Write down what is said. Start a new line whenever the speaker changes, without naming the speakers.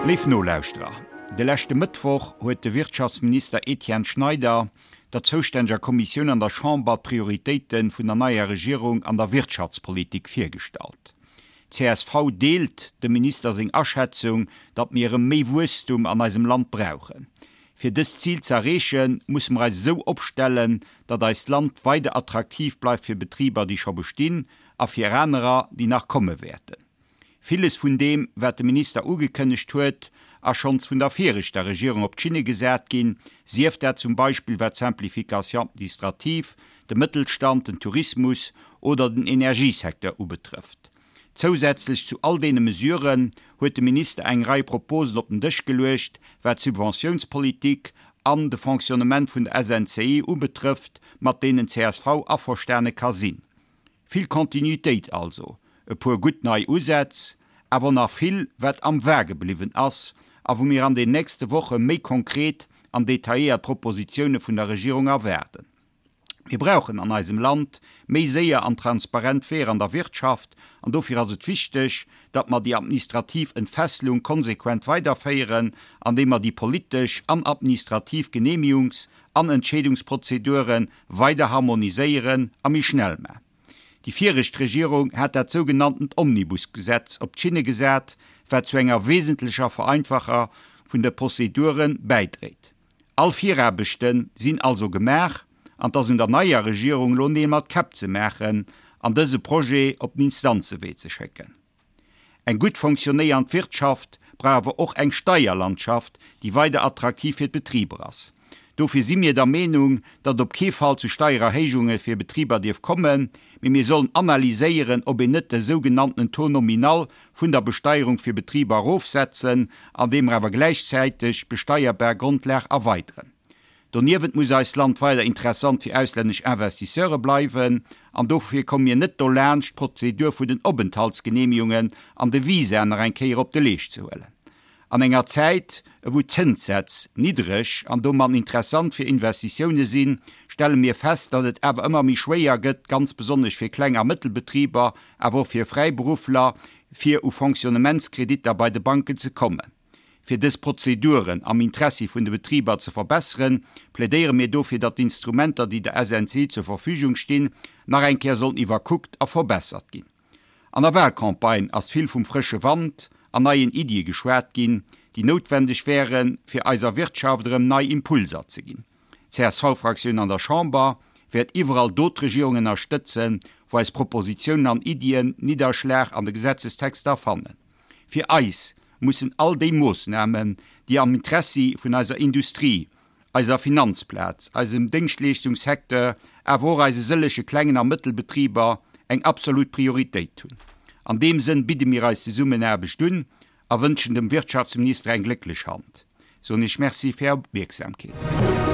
Léif Nolauschterer, de leschte Mëttwoch huet de Wirtschaftsminister Etienne Schneider der zoustänneger Kommissioun an der Chamber d'Prioritéite vun der neier Regierung an der Wirtschaftspolitik virgestallt. Csv deelt dem Minister seng Aschätzung, datt mir erëm méi Wuesstum an eisem Land brauchen. Fir dëst Zil ze erreechen, musse mer eis esou opstellen, datt eist Land weider attraktiv bleift fir Betriber, déi scho bestinn, a fir anerer, déi nach komme wäerten. Villes vun deem, wat de Minister ugekënnegt huet, ass schonns vun der viregter Regierung op d'Schinne gesat ginn, sief dat zum Beispill wat d'Simplification administrative, de Mëttelstand, den Tourismus oder den Energiesecteur ubetrëfft. Zousätzlech zu all deene Mesuren huet de Minister eng Rei Proposen op den Dësch geluecht, wat d'Subventiounspolitik an de Fonctionnement vun der SNCI ubetrëfft, mat deenen csv averstane ka sinn. Vill Continuitéit also, e puer gutt nei Usätz, awer nach vill, wat am Vage bliwwen ass a wou mir an den nächste Woche méi konkret an detailléiert Propositioune vun der Regierung erwaarden. Mir brauchen an eisem Land méi séier an transparent Weeër an der Wirtschaft an dofir ass et wichteg, datt mer déi administrativ Entfesselung konsequent weiderféieren, andeem mer déi politesch an administrativ Genehmigungs an Entscheedungsprozedure weider harmoniséieren a méi schnell man. Déi viregt Regierung hat dat sougenanntent Omnibusgesetz op d'Schinne gesat, wat zu enger wesentlecher Vereinfacher vun de Prozedure bäidréit. All Viraarbechte sinn also gemaach an 't ass un der neier Regierung elo Neel mat Käpp ze maachen an dëse Projet op den Instanzewee ze schécken. Eng gutt fonctionnéiernd Wirtschaft brauch awer och eng Steierlandschaft, déi weider attraktiv fir d'Betriber ass. Dofir si mir der Meenung, datt et op kee Fall zu Steiererhéijunge fir Betriber dierf kommen, mee mir sollen analyséieren, ob een net de sougenanntenen Taux nominal vun der Besteierung fir Betriber erofsetzen, andeem mer awer gläichzäiteg d'besteierbar Grondlag erweideren. Doniewent muss eist Land weider interessant fir auslännesch Investisseure bleiwen an dofir komme mir net dolaanscht, d'Prozedur vun den Openthaltsgenehmigungen an de Visaen nach eng Kéier op de Leescht ze huelen. An enger Zäit, ewou d'Zënssätz niddreg an domat interessant fir Investitioune sinn, stelle mir fest, datt et awer ëmmer méi schwéier gëtt, ganz besonnesch fir Kleng a Mëttelbetriber, awer och fir Fräiberuffler, fir u Fonctionnementskreditter bei de Banken ze kommen. Fir dës Prozeduren am Interessi vun de Betriber ze verbesseren, plädéiere mir dofir, datt d'Instrumenter, déi der SNCI zur Verfügung stinn, nach eng Kéier sollen iwwerkuckt a verbessert ginn. An der Wahlcampagne ass vill vum frësche Wand an neien Iddie geschwat ginn, déi noutwendeg wären, fir eiser Wirtschaft erëm nei Impulser ze ginn. D'CSV-Fraktioun an der Chamber wäert iwwerall do d'Regierung ënnerstëtzen, wou eis Propositionen an Iddien Nidderschlag an de Gesetzestexter fannen. Fir eis mussen all déi Moossnamen, déi am Interessi vun eiser Industrie, eiser Finanzplaz, eisem Déngschtleeschtungssecteur, awer och eise sëllege klengen a Mëttelbetriber eng absolut Prioritéit hunn. An deem Sënn bidde mir eis Zesummenaarbecht un a wënschen dem Wirtschaftsminister eng glécklech Hand. Soen Iech Merci fir Är Opmierksamkeet.